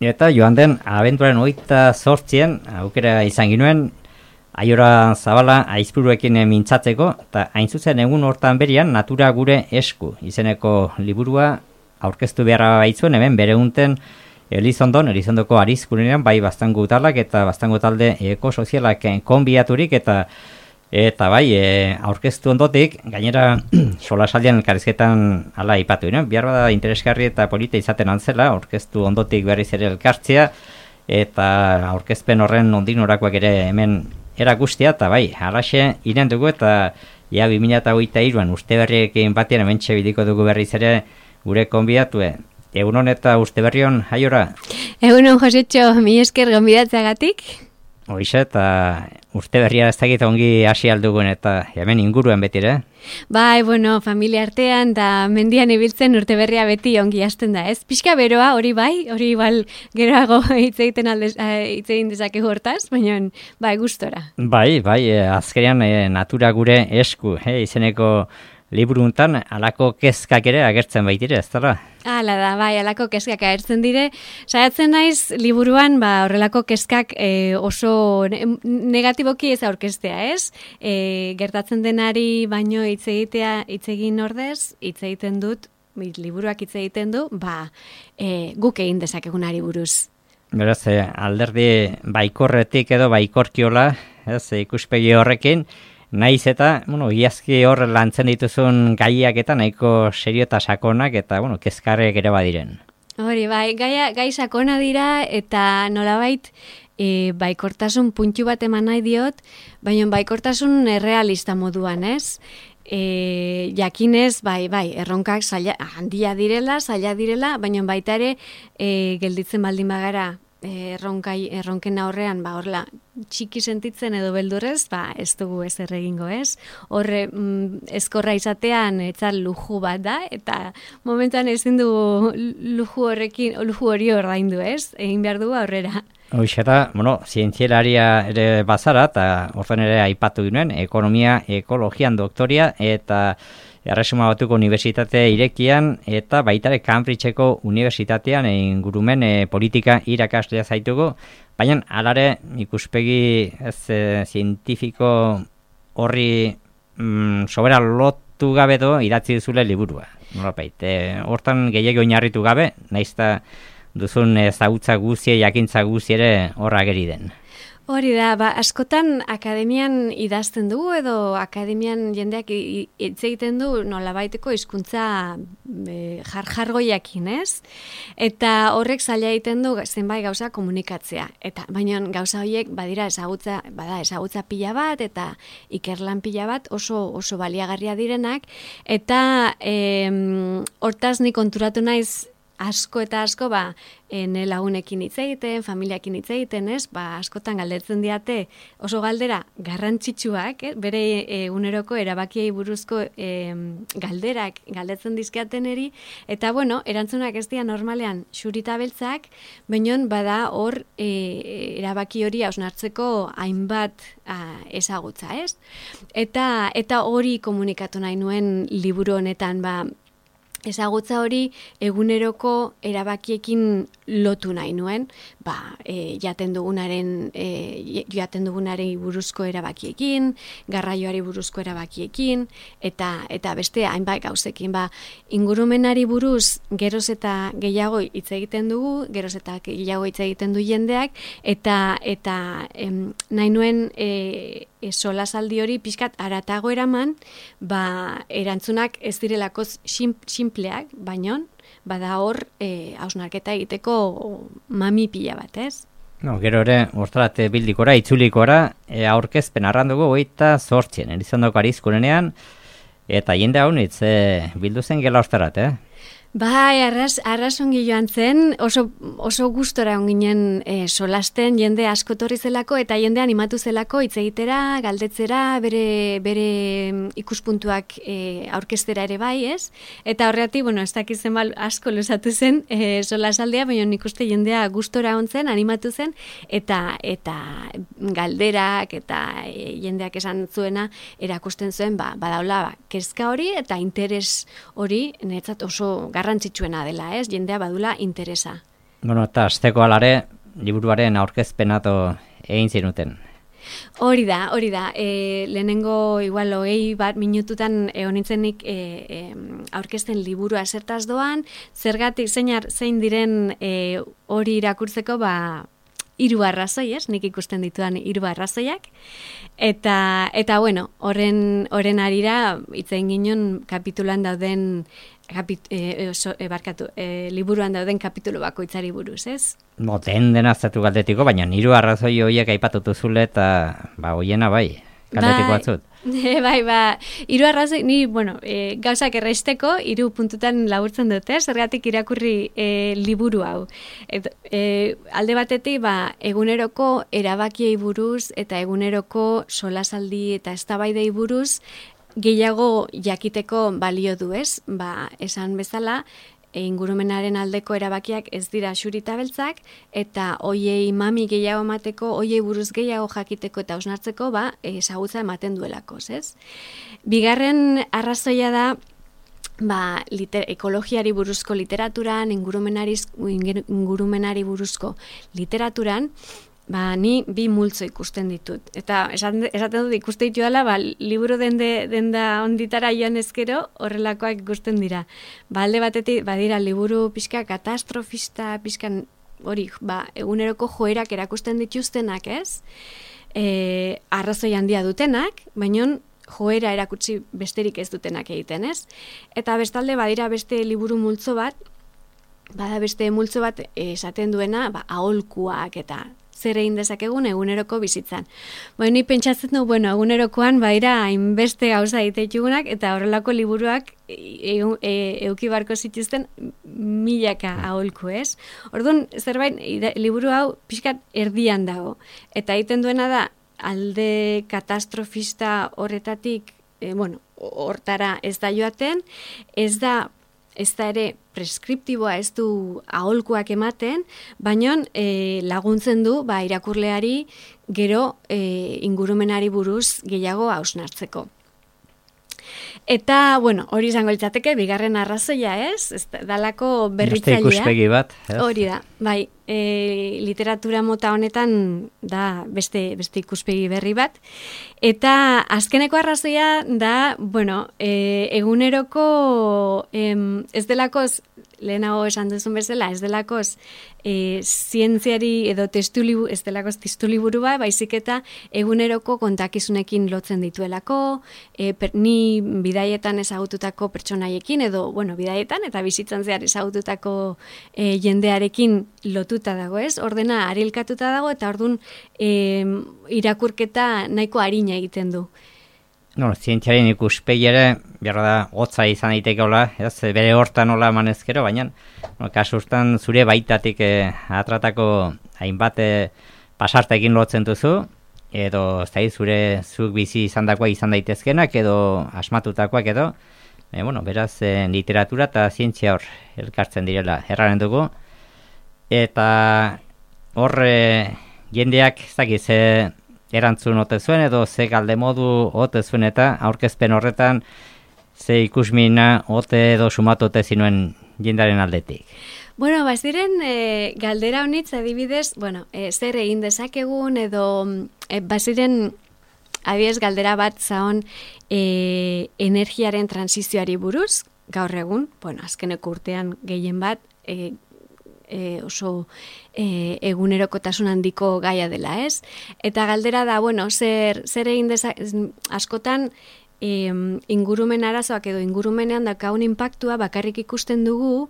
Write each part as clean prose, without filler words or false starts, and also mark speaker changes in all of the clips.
Speaker 1: Eta joan den abentuaren 28an aukera izan ginuen Aiora Zabala aizpuruekin mintzatzeko, eta hain zuzen egun hortan berian Natura gure esku izeneko liburua aurkeztu beharra baitzuen hemen bere unten Elizondoko arizkunean bai Baztango talak eta Baztango talde ekosozialak konbiaturik eta bai aurkeztu ondotik gainera solasaldian elkarrizketan hala aipatu, behar bada interesgarri eta polita izaten antzela aurkeztu ondotik berriz ere elkartzea eta aurkezpen horren nondik norakoak ere hemen erakustea, eta bai, halaxe iren dugu eta 2023an uste berriekin batean hementxe biliko dugu berriz ere gure konbidatue. Egunon eta uste berrion, Aiora?
Speaker 2: Egunon, Josetxo, mi esker gonbidatzeagatik.
Speaker 1: Hoize, eta uste berria ez dakit ongi hasi aldugun eta hemen inguruen betire.
Speaker 2: Bai, bueno, familia artean da mendian ibiltzen urte berria beti ongi hasten da, ez? Pixka beroa, hori bai, hori igual geroago hitz egin dezakegu hortaz, baina bai, gustora.
Speaker 1: Bai, azkenean Natura gure esku, izeneko liburu untan alako kezkak ere agertzen baitire, ez dara?
Speaker 2: Hala da, bai, alako kezkak agertzen dire. Saiatzen naiz liburuan horrelako kezkak oso negatiboki ez aurkeztea, ez? Gertatzen denari baino hitz egin ordez, hitz egiten dut, liburuak hitz egiten du, guk egin dezakegunari buruz.
Speaker 1: Beraz, alderdi baikorretik edo baikorkiola, ez, ikuspegi horrekin, naiz eta, iazki hor lantzen dituzun gaiak eta nahiko serio eta sakonak eta, kezkarrek ere badiren.
Speaker 2: Hori, bai, gai sakona dira eta nolabait baikortasun puntu bat eman nahi diot, baina baikortasun errealista moduan, ez? Jakinez, bai, erronkak handia direla, zaila direla, baina baita ere gelditzen baldin bagara erronken aurrean, horrela, txiki sentitzen edo beldurrez, ez dugu ez erregingo, ez? Horre, ezkorra izatean, etzal luju bat da, eta momentuan ezin du luju hori ordaindu, ez? Egin behar dugu aurrera.
Speaker 1: Hoxe eta, zientzialaria ere bazara, eta orten ere aipatu ginen, ekonomia, ekologian doktoria, eta Erresuma Batuko Unibertsitate irekian eta baitare Cambridgeko Unibertsitatean ingurumen politika irakaslea zaitugu, baina alare ikuspegi zientifiko horri sobera lotu gabe idatzi duzule liburua. Hortan gehiago oinarritu gabe, naizta duzun ezagutza guzie, jakintza guzie ere horra ageri den.
Speaker 2: Hori da, askotan akademian idazten dugu edo akademian jendeak hitz egiten du nolabaiteko hizkuntza jargoiakin, ez? Eta horrek zaila egiten du zenbait gauza komunikatzea. Baina gauza horiek badira ezagutza pila bat eta ikerlan pila bat oso baliagarria direnak eta hortaz ni konturatu naiz asko eta asko lagunekin hitz egiten, familiakin hitz egiten, ez? Askotan galdetzen diate oso galdera garrantzitsuak, bere eguneroko erabakiei buruzko galderak galdetzen dizkiaten eri, eta erantzunak ez dira normalean xurita beltzak, baina bada hor erabaki hori hausnartzeko hainbat ezagutza, ez? Eta hori komunikatu nahi nuen liburu honetan, ezagutza hori eguneroko erabakiekin lotu nahi nuen, jaten dugunaren buruzko erabakiekin, garraioari buruzko erabakiekin, eta beste hainbat gauzekin. Ingurumenari buruz geroz eta gehiago hitz egiten dugu, geroz eta gehiago hitz egiten du jendeak, eta nahi nuen solasaldi hori pixkat aratago eraman, erantzunak ez direlako sinpleak, baina bada hor hausnarketa egiteko mami pila bat, ez?
Speaker 1: Gero ere, hortzarat bildikora, itzulikora, aurkezpen arrandugu 28an, Elizondoko arizkunean, eta jende hau nitz bildu zen gela ostarat,
Speaker 2: Bai, arrasongi joan zen, oso gustora onginen solasten, jende asko torri zelako eta jende animatu zelako hitz egitera, galdetzera, bere ikuspuntuak aurkeztera ere bai, ez? Eta horregatik, ez dakizen asko luzatu zen solasaldea, baina nik uste jendea gustora ontzen, animatu zen, eta galderak eta jendeak esan zuena erakusten zuen, badaula, kezka hori eta interes hori, niretzat oso garrantzitsuena dela, ez? Jendea badula interesa.
Speaker 1: Bueno, eta asteko alare, liburuaren aurkezpenato egin zinuten.
Speaker 2: Hori da. Lehenengo igual 20 minututan honitzenik aurkezten liburua zertaz doan, zergatik zein diren hori irakurtzeko 3 arrazoi, nik ikusten ditudan 3 arrazoiak. Eta bueno, horren arira hitz egin ginen kapitulan dauden liburuan dauden kapitulu bakoitzari buruz, ez?
Speaker 1: Den aztertu galdetiko, baina 3 arrazoi horiek aipatutu zule eta hoiena galdetiko batzut.
Speaker 2: Bai, 3 arrazoi, ni, gauzak erraisteko 3 puntutan laburtzen dute, zergatik irakurri liburu hau. Alde batetik, eguneroko erabakiei buruz eta eguneroko solasaldi eta eztabaidei buruz gehiago jakiteko balio du, ez? Esan bezala, ingurumenaren aldeko erabakiak ez dira xurita beltzak, eta hoiei mami gehiago emateko, hoiei buruz gehiago jakiteko eta hausnartzeko, ezagutza ematen duelako, ez? Bigarren arrazoia da, ekologiari buruzko literaturan, ingurumenari buruzko literaturan, ni 2 multzo ikusten ditut. Eta esaten dut ikuste ditu dela, liburu denda onditara joan ezkero, horrelakoak ikusten dira. Alde batetik, badira liburu pixka katastrofista, pixkan hori, eguneroko joerak erakusten dituztenak, ez? Arrazoi handia dutenak, baina joera erakutsi besterik ez dutenak egiten, ez? Eta bestalde, badira beste liburu multzo bat, esaten duena, aholkuak eta zer egin dezakegun eguneroko bizitzan. Ni pentsatzen du, egunerokoan hainbeste gauza egiteitugunak eta horrelako liburuak euki barko zituzten milaka aholku, ez? Orduan, zerbait, liburu hau pixkat erdian dago. Eta egiten duena da, alde katastrofista horretatik, hortara ez da joaten, ez da ere preskriptiboa, ez du aholkuak ematen, baina laguntzen du irakurleari gero ingurumenari buruz gehiago hausnartzeko. Eta, hori izango litzateke, bigarren arrazoia, ez? Dalako berritzailea.
Speaker 1: Beste ikuspegi bat, ez?
Speaker 2: Hori da, literatura mota honetan da beste ikuspegi berri bat. Eta azkeneko arrazoia da, eguneroko ez delakoz, lehenago esan duzun bezala, ez delakoz zientziari edo ez delakoz testuliburu baizik eta eguneroko kontakizunekin lotzen dituelako, ni bidaietan ezagututako pertsonaiekin, edo, bidaietan eta bizitzan zehar ezagututako jendearekin lotuta dago, ez? Ordena arilkatuta dago eta ordun irakurketa nahiko arina egiten du.
Speaker 1: Zientziaren ikuspegi ere, behar da, hotza izan daitekeola, bere hortan nola emanezkero, baina, kasu urtan zure baitatik atratako hainbat pasartekin lotzen duzu, edo zuk bizi izandakoa izan daitezkenak, edo asmatutakoak edo, beraz, literatura eta zientzia hor elkartzen direla erraren dugu, eta hor jendeak, ze erantzun ote zuen edo ze galde modu ote zuen eta aurkezpen horretan ze ikusmina ote edo sumatu ote zinuen jendaren aldetik.
Speaker 2: Ziren galdera honitz adibidez, zer egin dezakegun edo baziren adibidez galdera bat zaon energiaren transizioari buruz, gaur egun, azkeneko urtean gehien bat, oso egunerokotasun handiko gaia dela, ez? Eta galdera da, zer egin askotan ingurumen arazoak edo ingurumenean daukagun inpaktua bakarrik ikusten dugu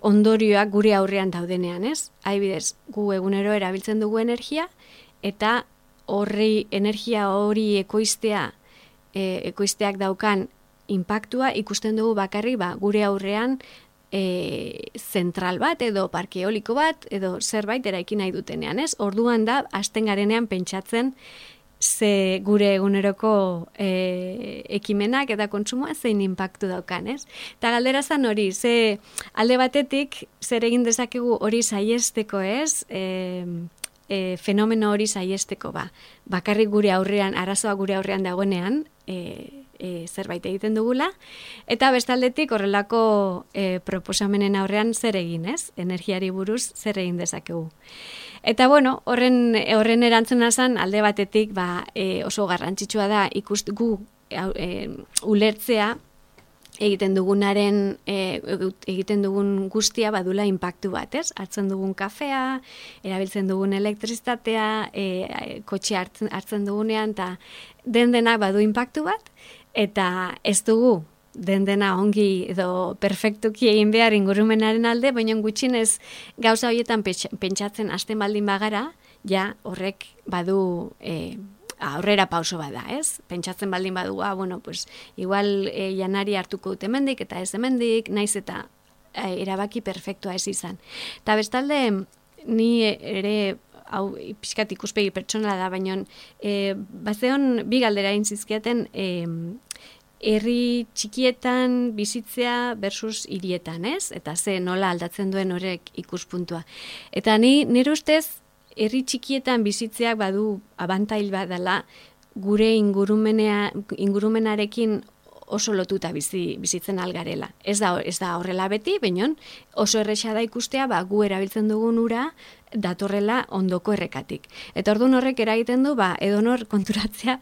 Speaker 2: ondorioak gure aurrean daudenean, ez? Adibidez, gu egunero erabiltzen dugu energia eta energia hori ekoizteak daukan inpaktua ikusten dugu bakarrik gure aurrean zentral bat edo parke eoliko bat edo zerbait eraiki nahi dutenean, ez? Orduan da, hasten garenean pentsatzen ze gure eguneroko ekimenak eta kontsumoa zein inpaktu daukan, ez? Eta galdera zan hori, ze alde batetik zer egin dezakegu hori saiesteko, ez? Fenomeno hori saiesteko, bakarrik gure aurrean, arazoa gure aurrean dagoenean, zerbait egiten dugula, eta bestaldetik horrelako proposamenen aurrean zer egin, ez? Energiari buruz zer egin dezakegu. Eta bueno, horren erantzuna zen alde batetik oso garrantzitsua da gu ulertzea egiten dugun guztia badula inpaktu bat, ez? Hartzen dugun kafea, erabiltzen dugun elektrizitatea, kotxe hartzen dugunean, eta denak badu inpaktu bat, eta ez dugu dena ongi edo perfektuki egin behar ingurumenaren alde, baina gutxinez gauza horietan pentsatzen hasten baldin bagara, ja horrek badu aurrera pauso bada, ez? Pentsatzen baldin badu, igual janari hartuko dut hemendik eta ez hemendik, naiz eta erabaki perfektua ez izan. Eta bestalde, ni ere, hau pixkat ikuspegi pertsonala da, baina bazeon bi galdera egin zizkiaten herri txikietan bizitzea versus hirietan, ez? Eta nola aldatzen duen horrek ikuspuntua. Eta nire ustez, herri txikietan bizitzeak badu abantail badala gure ingurumenarekin oso lotuta bizitzen algarela. Ez da horrela beti, baina oso erresa da ikustea gu erabiltzen dugun ura datorrela ondoko errekatik. Eta orduan horrek eragiten du, edonor konturatzea,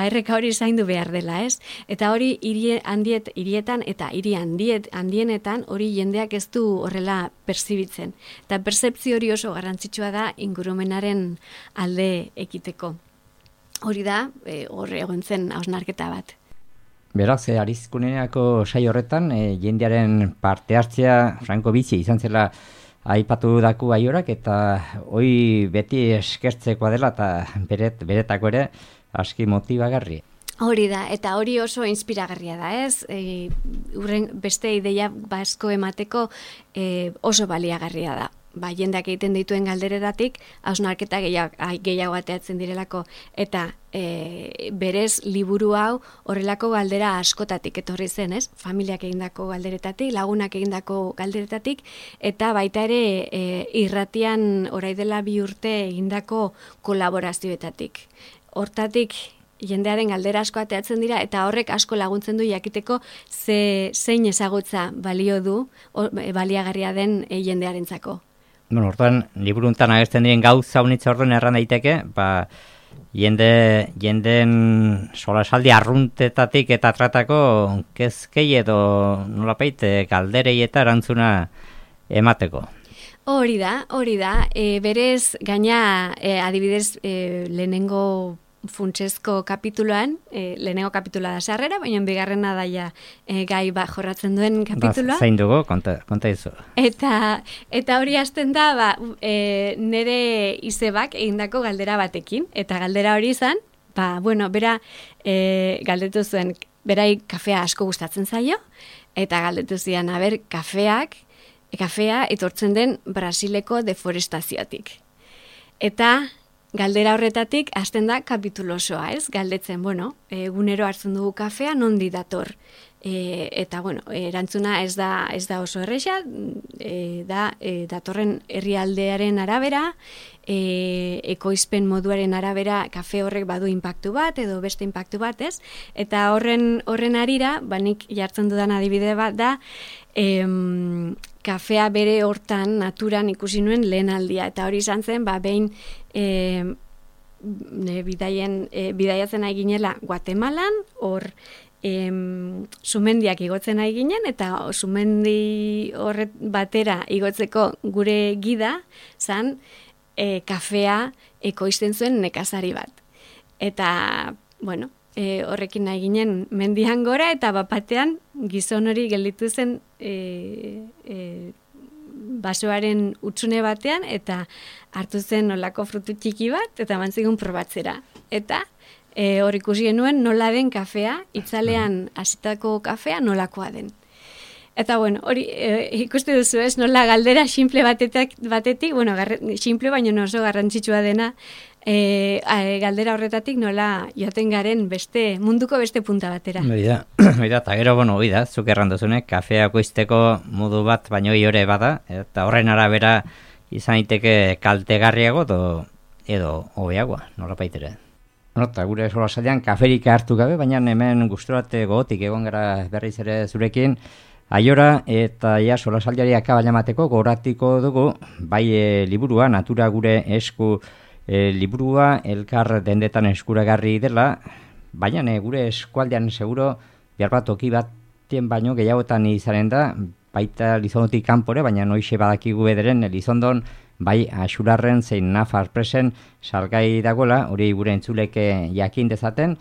Speaker 2: erreka hori zaindu behar dela, ez? Eta hori hirietan eta hiri handienetan hori jendeak ez du horrela perzibitzen. Eta pertzepzio hori oso garrantzitsua da ingurumenaren alde ekiteko. Hori da, horre egon zen hausnarketa bat.
Speaker 1: Beraz, Arizkuneako saio horretan, jendearen parte hartzea franko bizi izan zela aipatu daku aiorak, eta hoi beti eskertzekoa dela eta beretako ere aski motibagarri.
Speaker 2: Hori da, eta hori oso inspiragarria da, ez? Beste ideia basko emateko oso baliagarria da. Jendeak egiten dituen galderetatik, hausnarketa gehiago ateatzen direlako, eta berez liburu hau horrelako galdera askotatik etorri zen, ez? Familiak egindako galderetatik, lagunak egindako galderetatik, eta baita ere irratian orain dela 2 urte egindako kolaborazioetatik. Hortatik jendearen galdera asko ateatzen dira, eta horrek asko laguntzen du jakiteko zein ezagutza balio du, baliagarria den jendearentzako.
Speaker 1: Orduan, liburuntan agertzen diren gauza unitza orduan erran daiteke, jendeen solasaldi arruntetatik eta tratako kezkei edo nolapait galderei eta erantzuna emateko.
Speaker 2: Hori da, berez gaina adibidez lehenengo funtsezko kapituloan, lehenengo kapitula da sarrera, baina bigarrena daia gai jorratzen duen kapitula.
Speaker 1: Zain dugu, konta izu.
Speaker 2: Eta hori hasten da, nire izebak egindako galdera batekin, eta galdera hori izan, bera galdetu zuen, berai kafea asko gustatzen zaio, eta galdetu zian, kafea etortzen den Brasileko deforestazioatik. Eta galdera horretatik hasten da kapitulo osoa, ez? Galdetzen, egunero hartzen dugu kafea, nondi dator? Eta, erantzuna ez da oso erresa, datorren herrialdearen arabera, ekoizpen moduaren arabera kafe horrek badu inpaktu bat, edo beste inpaktu bat, ez? Eta horren harira, nik jartzen dudan adibide bat da, kafea bere hortan, naturan ikusi nuen lehen aldia. Eta hori izan zen, behin bidaiatzen ari ginela Guatemalan, hor sumendiak igotzen ari ginen, eta sumendi horret batera igotzeko gure gida zan kafea ekoizten zuen nekazari bat. Eta, horrekin nahi ginen mendian gora, eta bapatean gizon hori gelditu zen basoaren utzune batean, eta hartu zen nolako frutu txiki bat, eta mantzigun probatzera. Eta hor ikusi genuen nola den kafea, itzalean hasitako kafea nolakoa den. Eta hori ikuste duzu ez, nola galdera simple batetik, simple baino oso garrantzitsua dena, galdera horretatik nola joaten garen munduko beste punta batera.
Speaker 1: Eta gero, zuk erranduzunek, kafea ekoizteko modu bat baino hori bada, eta horren arabera izan daiteke kaltegarriago edo hobeagoa, nola baitere. Nota, gure solasailean kaferik hartu gabe, baina hemen gusturate gogotik egon gara berriz ere zurekin, Aiora eta ja solasaldiari akabaina emateko goratiko dugu, bai liburua, natura gure esku liburua, elkar dendetan eskuragarri dela, baina gure eskualdean seguro, behar bat toki batien baino gehiagotan izanen da, baita Lizondotik kanpore, baina noixe badakigu ederen Lizondon, bai Axularren zein Nafar presen salgai dagoela, hori gure entzuleke jakin dezaten,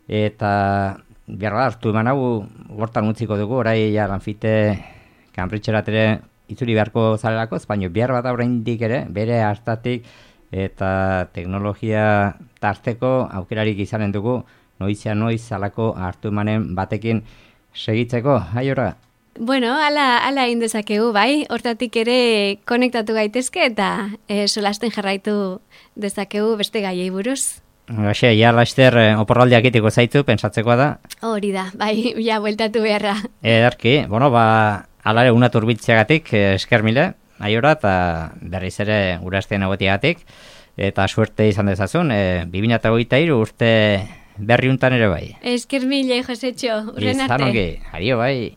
Speaker 1: eta behar da, hartu eman hau hortan utziko dugu, orai ja Lanfite Kanpritxerat ere itzuli beharko zarelako, baina behar bat oraindik ere, bere hartatik eta teknologia tarteko aukerarik izanen dugu, noizia noiz alako hartu emanen batekin segitzeko, Aiora?
Speaker 2: Bueno, ala indezakegu, bai, hortatik ere konektatu gaitezke eta solasten jarraitu dezakegu beste gaiei buruz.
Speaker 1: Gaxe, ja laster oporraldiak itiko zaitu, pensatzekoa da.
Speaker 2: Hori da, bai, ja bueltatu beharra.
Speaker 1: Ederki, bueno, alare una turbitzeagatik esker mile, Aiora, eta berriz ere gurasten egotiagatik, eta suerte izan dezazun, 2023 urte berriuntan ere bai.
Speaker 2: Esker mile, Josetxo, urren arte.
Speaker 1: Izan ongi, adio bai.